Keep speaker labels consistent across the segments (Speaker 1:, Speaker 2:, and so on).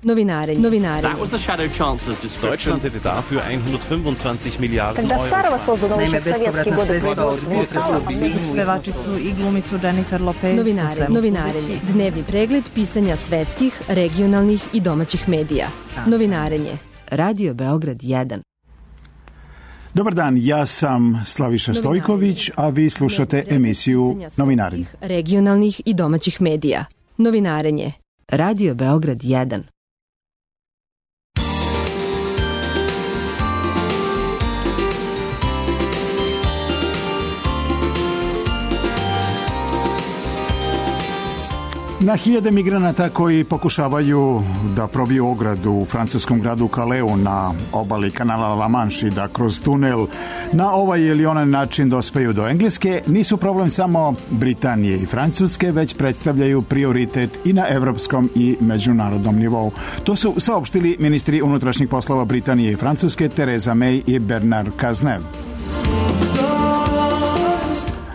Speaker 1: Novinarenje.
Speaker 2: That was the Shadow Chancellor's description.
Speaker 3: Deutschland hätte dafür 125 Milijarden
Speaker 4: Когда старого
Speaker 3: Euro.
Speaker 4: создано
Speaker 5: Naime,
Speaker 4: еще в советские
Speaker 5: bespovratna
Speaker 4: годы
Speaker 5: sredstva od
Speaker 4: производства.
Speaker 5: pevačicu i glumicu Jennifer Lopez.
Speaker 1: Novinarenje. Dnevni pregled pisanja svetskih, regionalnih i domaćih medija. Novinarenje. Radio Beograd 1.
Speaker 6: Dobar dan, ja sam Slaviša Stojković, a vi slušate emisiju Novinarenje.
Speaker 1: Regionalnih i domaćih medija. Novinarenje. Radio Beograd 1.
Speaker 6: Na hiljade migranata koji pokušavaju da probiju ogradu u francuskom gradu Calaisu na obali kanala La Manche i da kroz tunel na ovaj ili onaj način dospeju do Engleske nisu problem samo Britanije i Francuske, već predstavljaju prioritet i na evropskom i međunarodnom nivou. To su saopštili ministri unutrašnjih poslova Britanije i Francuske Theresa May i Bernard Cazeneuve.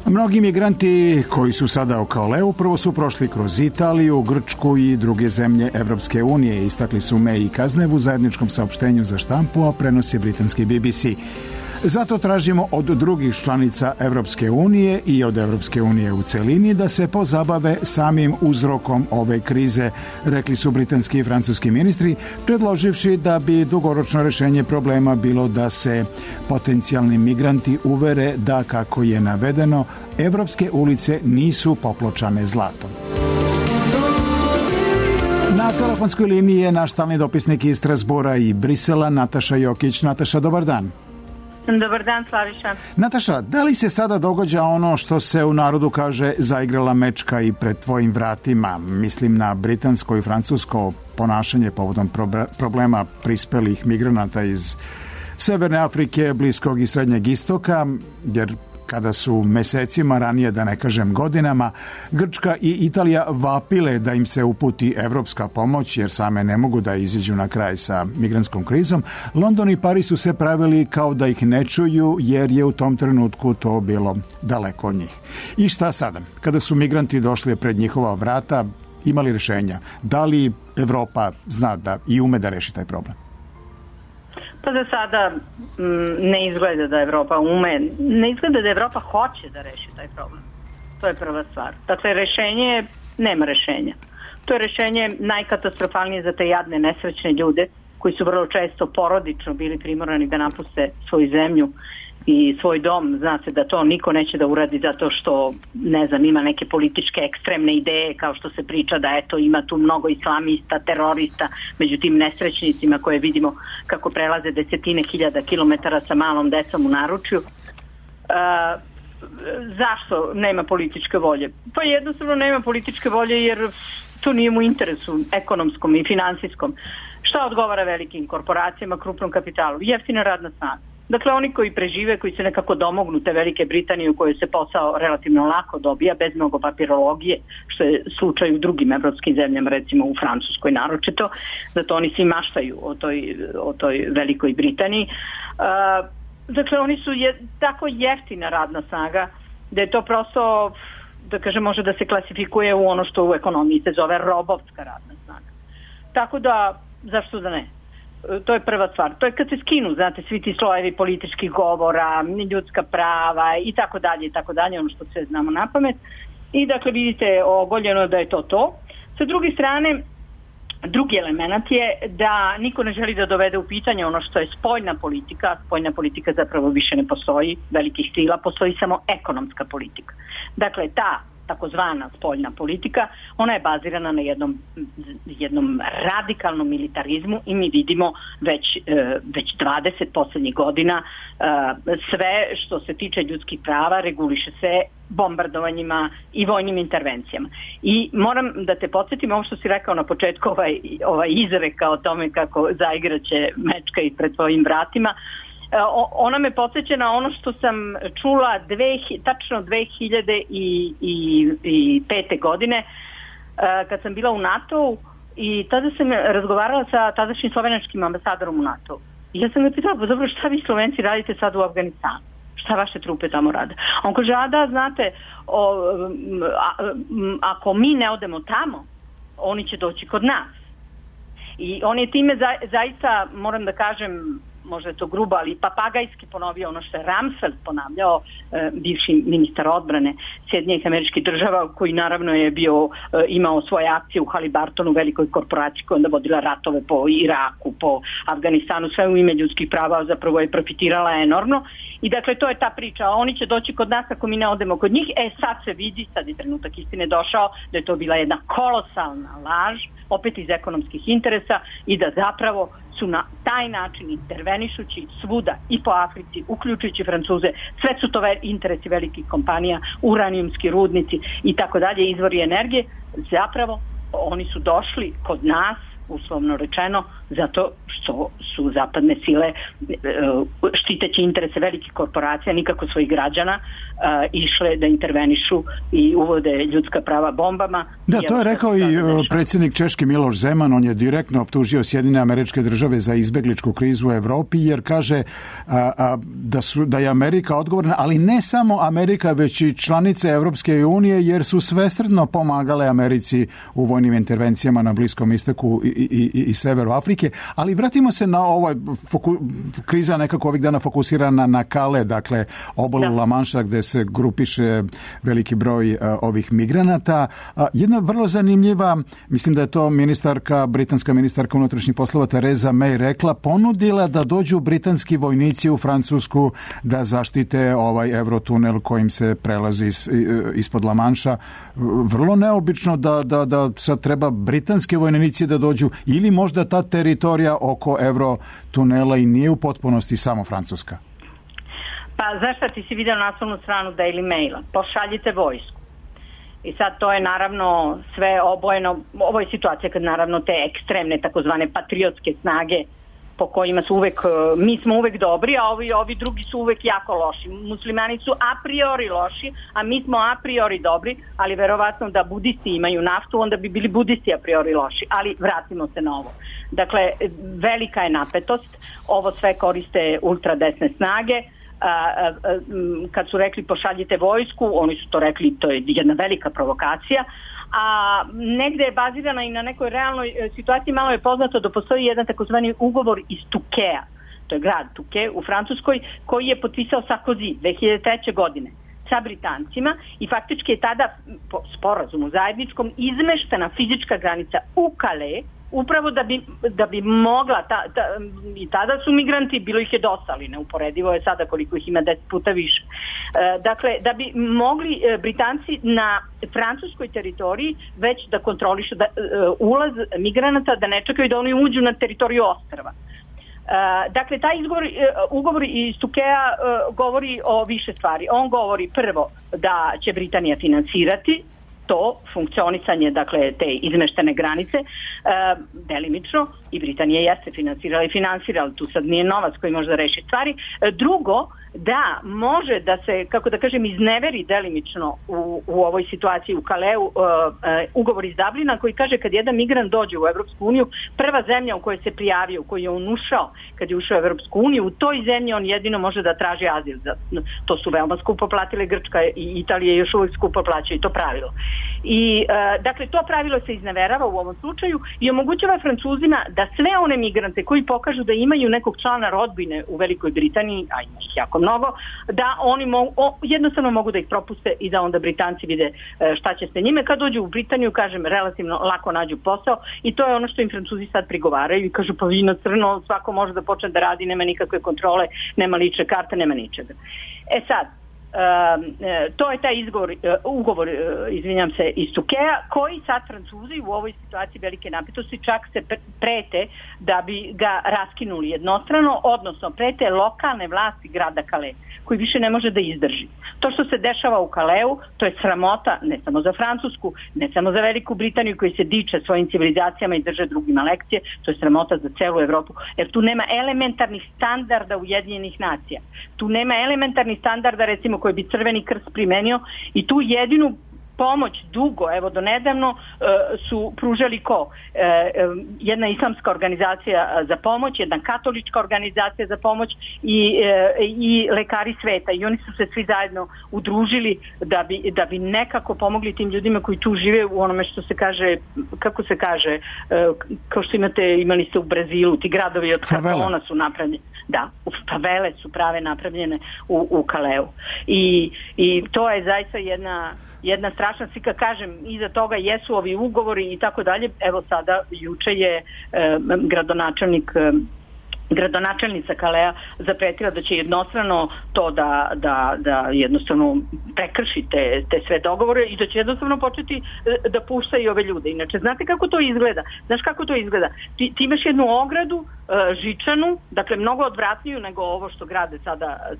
Speaker 6: Mnogi migranti koji su sada u Calaisu prvo su prošli kroz Italiju, Grčku i druge zemlje Evropske unije, istakli su May i Cazeneuve u zajedničkom saopštenju za štampu, a prenosi britanski BBC. Zato tražimo od drugih članica Evropske unije i od Evropske unije u celini da se pozabave samim uzrokom ove krize, rekli su britanski i francuski ministri, predloživši da bi dugoročno rešenje problema bilo da se potencijalni migranti uvere da, kako je navedeno, evropske ulice nisu popločane zlatom. Na telefonskoj liniji je naš stalni dopisnik iz Strasbura i Brisela, Nataša Jokić. Nataša, dobar dan.
Speaker 7: Dobar dan, Slaviša.
Speaker 6: Nataša, da li se sada događa ono što se u narodu kaže zaigrala mečka i pred tvojim vratima? Mislim na britansko i francusko ponašanje povodom problema prispelih migranata iz Severne Afrike, Bliskog i Srednjeg istoka, jer kada su mesecima ranije, da ne kažem godinama, Grčka i Italija vapile da im se uputi evropska pomoć jer same ne mogu da iziđu na kraj sa migrantskom krizom, London i Pariz su se pravili kao da ih ne čuju jer je u tom trenutku to bilo daleko od njih. I šta sada? Kada su migranti došli pred njihova vrata, imali rješenja? Da li Evropa zna da i ume da reši taj problem?
Speaker 7: Pa za sada ne izgleda da Evropa ume, ne izgleda da Evropa hoće da reši taj problem. To je prva stvar. Dakle, rešenje, nema rešenja. To je rešenje najkatastrofalnije za te jadne, nesrećne ljude koji su vrlo često porodično bili primorani da napuste svoju zemlju i svoj dom. Zna se da to niko neće da uradi zato što, ne znam, ima neke političke ekstremne ideje, kao što se priča da eto ima tu mnogo islamista, terorista među tim nesrećnicima koje vidimo kako prelaze desetine hiljada kilometara sa malom decom u naručju. Zašto nema političke volje? Pa jednostavno nema političke volje jer to nije mu interesu ekonomskom i finansijskom. Šta odgovara velikim korporacijama, krupnom kapitalu? Jeftina radna snaga. Dakle, oni koji prežive, koji se nekako domognu te Velike Britanije u kojoj se posao relativno lako dobija, bez mnogo papirologije, što je slučaj u drugim evropskim zemljama, recimo u Francuskoj naročito, zato oni svi maštaju o toj Velikoj Britaniji. Dakle, oni su tako jeftina radna snaga da je to prosto, da kažem, može da se klasifikuje u ono što u ekonomiji se zove robovska radna snaga. Tako da, zašto da ne? To je prva stvar. To je kad se skinu, znate, svi ti slojevi političkih govora, ljudska prava i tako dalje, ono što sve znamo na pamet. I dakle, vidite, ogoljeno da je to. Sa druge strane, drugi element je da niko ne želi da dovede u pitanje ono što je spoljna politika. Spoljna politika zapravo više ne postoji, velikih sila, postoji samo ekonomska politika. Dakle, ta takozvana spoljna politika, ona je bazirana na jednom radikalnom militarizmu i mi vidimo već 20 posljednjih godina sve što se tiče ljudskih prava reguliše se bombardovanjima i vojnim intervencijama. I moram da te podsjetim ovo što si rekao na početku, ovaj izreka o tome kako zaigraće mečka i pred tvojim vratima. Ona me podsjeća na ono što sam čula tačno 2005. godine kad sam bila u NATO-u i tada sam razgovarala sa tadašnjim slovenačkim ambasadorom u NATO-u. I ja sam ga pitala, pa dobro, šta vi Slovenci radite sad u Afganistanu? Šta vaše trupe tamo rade? On kaže, znate, ako mi ne odemo tamo, oni će doći kod nas. I on je time zaista, moram da kažem, možda je to grubo, ali papagajski ponovio ono što je Rumsfeld ponavljao, bivši ministar odbrane Sjedinjenih Američkih Država, koji naravno je imao svoje akcije u Halibartonu, velikoj korporaciji koja onda vodila ratove po Iraku, po Afganistanu, sve u ime ljudskih prava, zapravo je profitirala enormno. I dakle, to je ta priča. Oni će doći kod nas ako mi ne odemo kod njih. Sad se vidi, sad je trenutak istine došao, da je to bila jedna kolosalna laž, opet iz ekonomskih interesa, i da zapravo su na taj način intervenišući svuda i po Africi, uključujući Francuze, sve su to interesi velikih kompanija, uranijumski rudnici i tako dalje, izvori energije, zapravo oni su došli kod nas, uslovno rečeno, zato što su zapadne sile, štiteći interese velikih korporacija, nikako svojih građana, išle da intervenišu i uvode ljudska prava bombama.
Speaker 6: Da, to je rekao i predsjednik Češke Miloš Zeman. On je direktno optužio Sjedinjene Američke Države za izbegličku krizu u Evropi, jer kaže da je Amerika odgovorna, ali ne samo Amerika, već i članice Evropske unije, jer su svesrdno pomagale Americi u vojnim intervencijama na Bliskom istoku i severu Afrike. Ali vratimo se na ovaj kriza nekako ovih dana fokusirana na Kale, dakle obalu La Manša, gde se grupiše veliki broj ovih migranata. Jedna vrlo zanimljiva, mislim da je to britanska ministarka unutrašnjih poslova Theresa May rekla, ponudila da dođu britanski vojnici u Francusku da zaštite ovaj eurotunel kojim se prelazi ispod La Manša. Vrlo neobično da sad treba britanski vojnici da dođu, ili možda ta teritorija oko eurotunela i nije u potpunosti samo Francuska.
Speaker 7: Pa zašto ti si vidio naslovnu stranu Daily Maila? Pošaljite vojsku. I sad to je naravno sve obojeno, ovo je situacija kad naravno te ekstremne takozvane patriotske snage po kojima su mi smo uvek dobri, a ovi drugi su uvek jako loši. Muslimani su a priori loši, a mi smo a priori dobri, ali verovatno da budisti imaju naftu, onda bi bili budisti a priori loši. Ali vratimo se na ovo. Dakle, velika je napetost, ovo sve koriste ultradesne snage. Kad su rekli pošaljite vojsku, oni su to rekli, to je jedna velika provokacija, a negde je bazirana i na nekoj realnoj situaciji. Malo je poznato da postoji jedan takozvani ugovor iz Tukea, to je grad Tuke u Francuskoj, koji je potpisao Sarkozy 2003. godine sa Britancima, i faktički je tada po sporazumu zajedničkom izmeštena fizička granica u Calais, upravo da bi mogla, i tada su migranti, bilo ih je dosta, ali neuporedivo je sada koliko ih ima 10 puta više. Dakle, da bi mogli Britanci na francuskoj teritoriji već da kontrolišu ulaz migranata, da ne čekaju da oni uđu na teritoriju ostrva. Dakle, taj ugovor iz Tukea govori o više stvari. On govori prvo da će Britanija finansirati to funkcionisanje, dakle, te izmeštene granice, delimično, i Britanija jeste finansirala i finansirala, tu sad nije novac koji može da reši stvari. Drugo, da može da se, kako da kažem, izneveri delimično u ovoj situaciji u Kaleu ugovor iz Dublina, koji kaže kad jedan migrant dođe u Evropsku uniju, prva zemlja u kojoj se prijavio, u kojoj je on ušao, kad je ušao u Evropsku uniju, u toj zemlji on jedino može da traži azil. To su veoma skupo platile, Grčka i Italija još uvijek skupo plaćaju to pravilo. I dakle, to pravilo se izneverava u ovom slučaju i omogućava Francuzima da sve one migrante koji pokažu da imaju nekog člana rodbine u Velikoj Britaniji, a ima ih jako mnogo, da oni jednostavno mogu da ih propuste i da onda Britanci vide šta će se njime. Kad dođu u Britaniju, kažem, relativno lako nađu posao, i to je ono što im Francuzi sad prigovaraju i kažu, pa vi na crno, svako može da počne da radi, nema nikakve kontrole, nema lične karte, nema ničega. Sad, to je taj ugovor, izvinjam se, iz Tukea, koji sad Francuzi u ovoj situaciji velike napetosti čak se prete da bi ga raskinuli jednostrano, odnosno prete lokalne vlasti grada Calais, koji više ne može da izdrži. To što se dešava u Calaisu, to je sramota ne samo za Francusku, ne samo za Veliku Britaniju koji se diče svojim civilizacijama i drže drugima lekcije, to je sramota za celu Evropu, jer tu nema elementarnih standarda Ujedinjenih nacija. Tu nema elementarnih standarda, recimo, koji bi Crveni krst primenio, i tu jedinu pomoć dugo, evo do nedavno su pružali jedna islamska organizacija za pomoć, jedna katolička organizacija za pomoć i lekari sveta, i oni su se svi zajedno udružili da bi nekako pomogli tim ljudima koji tu žive u onome što se kaže, kako se kaže, kao što imali ste u Brazilu, ti gradovi od kartona su napravljeni. Da, favele su prave napravljene u Kaleu. I to je zaista jedna strašna slika, kažem, iza toga jesu ovi ugovori i tako dalje. Evo sada, juče je gradonačelnica Kalea zapretila da će jednostrano to da jednostavno prekrši te sve dogovore i da će jednostavno početi da pušta i ove ljude. Inače, znate kako to izgleda? Znaš kako to izgleda? Ti imaš jednu ogradu žičanu, dakle mnogo odvratniju nego ovo što grade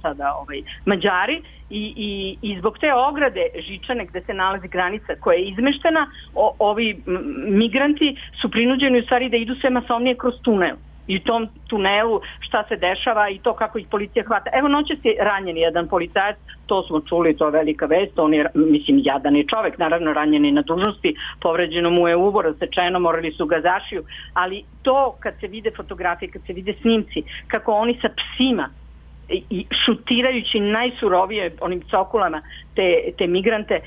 Speaker 7: sada Mađari, i zbog te ograde žičane gde se nalazi granica koja je izmeštena, ovi migranti su prinuđeni u stvari da idu sve masovnije kroz tunel. I u tom tunelu šta se dešava i to kako ih policija hvata. Evo, noćas je ranjen jedan policajac, to smo čuli, to je velika vest, on je, mislim, jadan je čovek, naravno ranjen je na dužnosti, povređeno mu je uvo, rasečeno, morali su ga zašiju, ali to kad se vide fotografije, kad se vide snimci, kako oni sa psima i šutirajući najsurovije onim cokulama te migrante,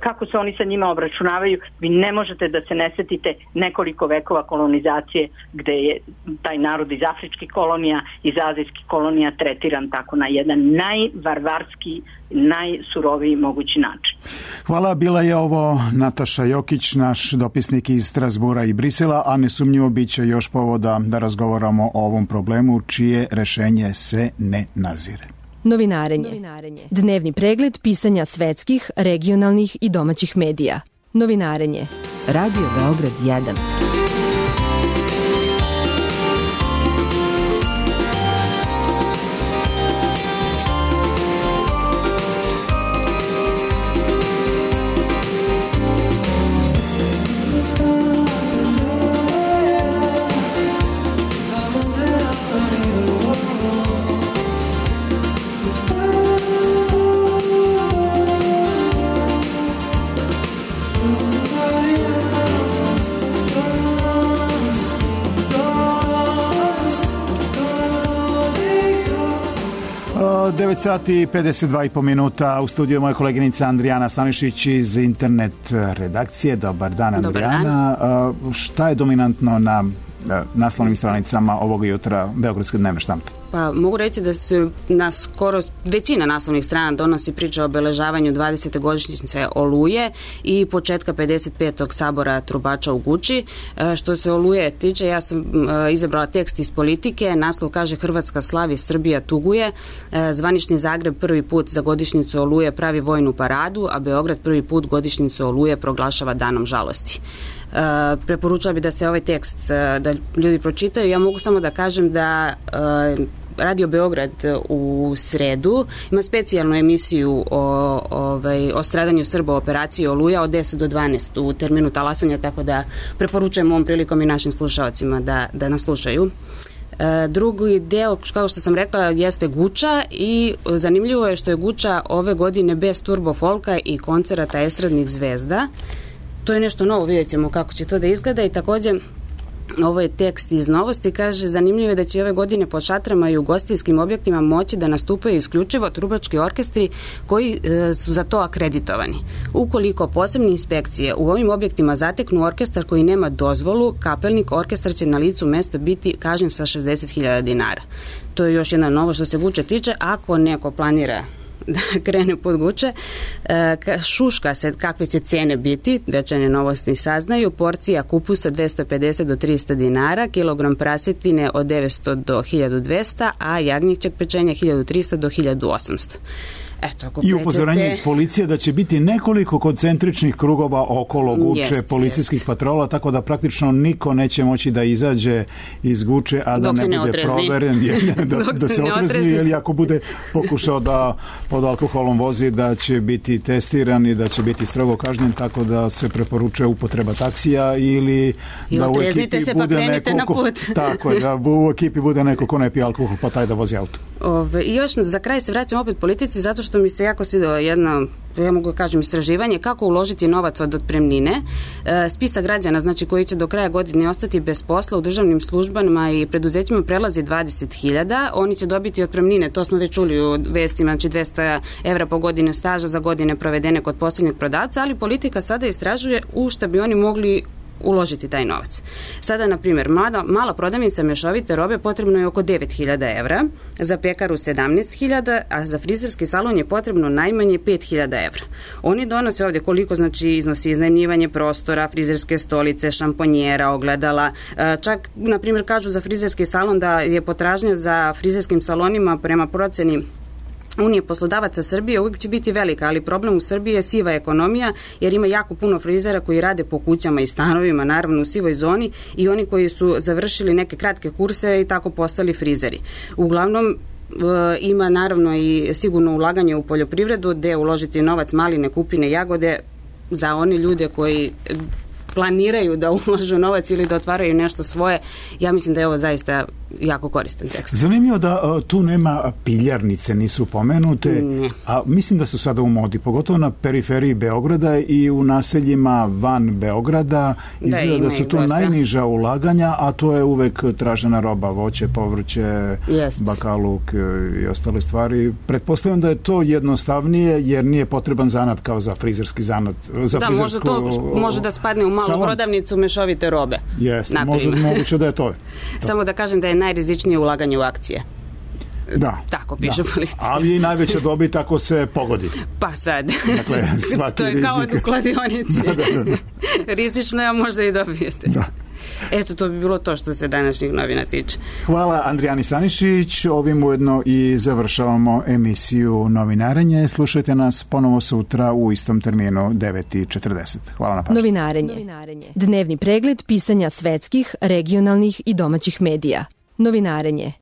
Speaker 7: kako se oni sa njima obračunavaju, vi ne možete da se ne setite nekoliko vekova kolonizacije gde je taj narod iz afričkih kolonija, iz azijskih kolonija tretiran tako na jedan najvarvarski, najsuroviji mogući način.
Speaker 6: Hvala, bila je ovo Nataša Jokić, naš dopisnik iz Strasbura i Brisela, a nesumnjivo bit će još povoda da razgovaramo o ovom problemu čije rešenje se ne nazire.
Speaker 1: Novinarenje. Dnevni pregled pisanja svetskih, regionalnih i domaćih medija. Novinarenje. Radio Beograd 1.
Speaker 6: Sati i 52,5 minuta, u studiju moja koleginica Andrijana Stanišić iz internet redakcije. Dobar dan, Andrijana. Šta je dominantno na naslovnim stranicama ovog jutra Beogradske dnevne štampe?
Speaker 4: Pa mogu reći da se na skoro većina naslovnih strana donosi priča o obeležavanju 20. godišnjice Oluje i početka 55. sabora trubača u Guči. Što se Oluje tiče, ja sam izabrala tekst iz Politike. Naslov kaže: Hrvatska slavi, Srbija tuguje. Zvanični Zagreb prvi put za godišnjicu Oluje pravi vojnu paradu, a Beograd prvi put godišnjicu Oluje proglašava danom žalosti. Preporučala bi da se ovaj tekst da ljudi pročitaju. Ja mogu samo da kažem da Radio Beograd u sredu ima specijalnu emisiju o stradanju Srba u operaciji Oluja od 10 do 12 u terminu talasanja, tako da preporučujem ovom prilikom i našim slušalcima da nas slušaju. Drugi deo, kao što sam rekla, jeste Guča i zanimljivo je što je Guča ove godine bez turbo folka i koncerata estradnih zvezda. To je nešto novo, vidjet ćemo kako će to da izgleda. I također ovo je tekst iz Novosti, kaže: zanimljivo je da će ove godine pod šatrama i ugostiteljskim objektima moći da nastupaju isključivo trubački orkestri koji su za to akreditovani. Ukoliko posebne inspekcije u ovim objektima zateknu orkestar koji nema dozvolu, kapelnik orkestar će na licu mesta biti kažnjen sa 60.000 dinara. To je još jedna novo što se Guče tiče. Ako neko planira da krene pod Guče, šuška se kakve će cene biti, večernje Novosti saznaju. Porcija kupusa 250 do 300 dinara, kilogram prasetine od 900 do 1200, a jagnjećeg pečenja 1300 do 1800. I
Speaker 6: upozorenje iz policije da će biti nekoliko koncentričnih krugova okolo Guče, policijskih patrola, tako da praktično niko neće moći da izađe iz Guče, a da ne bude proveren, da se otrezni, ili ako bude pokušao da pod alkoholom vozi, da će biti testiran i da će biti strogo kažnjen, tako da se preporučuje upotreba taksija ili da u ekipi bude neko tako je, da u ekipi bude neko ko ne pije alkohol, pa taj da vozi auto.
Speaker 4: I još za kraj se vraćam opet politici, zato što što mi se jako svidelo, jedno, ja mogu kažem, istraživanje kako uložiti novac od otpremnine. Spisak građana, znači, koji će do kraja godine ostati bez posla u državnim službama i preduzećima prelazi 20.000. Oni će dobiti otpremnine, to smo već čuli u vestima, znači 200 evra po godinu staža za godine provedene kod posljednjeg prodavca, ali politika sada istražuje u šta bi oni mogli uložiti taj novac. Sada, na primjer, mala prodavnica mešovite robe potrebno je oko 9.000 evra, za pekaru 17.000, a za frizerski salon je potrebno najmanje 5.000 evra. Oni donose ovdje koliko, znači, iznosi iznajmljivanje prostora, frizerske stolice, šamponjera, ogledala. Čak, na primjer, kažu za frizerski salon da je potražnja za frizerskim salonima prema proceni Unije poslodavaca Srbije uvijek će biti velika, ali problem u Srbiji je siva ekonomija, jer ima jako puno frizera koji rade po kućama i stanovima, naravno u sivoj zoni, i oni koji su završili neke kratke kurse i tako postali frizeri. Uglavnom, ima naravno i sigurno ulaganje u poljoprivredu, gde uložiti novac, maline, kupine, jagode za one ljude koji planiraju da ulažu novac ili da otvaraju nešto svoje. Ja mislim da je ovo zaista jako koristan tekst.
Speaker 6: Zanimljivo da tu nema piljarnice, nisu pomenute,
Speaker 4: Ne.
Speaker 6: a mislim da su sada u modi, pogotovo na periferiji Beograda i u naseljima van Beograda. Izgleda da su tu najniža ulaganja, a to je uvek tražena roba, voće, povrće, bakaluk i ostale stvari. Pretpostavljam da je to jednostavnije, jer nije potreban zanat kao za frizerski zanat. Za
Speaker 4: da, možda to može da spadne u malu prodavnicu mešovite robe.
Speaker 6: Jeste, moguće da je to.
Speaker 4: Samo da kažem da je najrizičnije ulaganje u akcije.
Speaker 6: Da.
Speaker 4: Tako piše politika.
Speaker 6: Ali i najveća dobit ako se pogodi.
Speaker 4: Pa sad.
Speaker 6: Dakle, svaki
Speaker 4: to je
Speaker 6: rizik.
Speaker 4: kao u kladionici.
Speaker 6: Da.
Speaker 4: Rizično je, a možda i dobijete.
Speaker 6: Da.
Speaker 4: Eto, to bi bilo to što se današnjih novina tiče.
Speaker 6: Hvala Andrijani Stanišić. Ovim ujedno i završavamo emisiju Novinarenje. Slušajte nas ponovo sutra u istom terminu 9:40. Hvala na pažnju.
Speaker 1: Novinarenje. Dnevni pregled pisanja svetskih, regionalnih i domaćih medija. Novinarenje.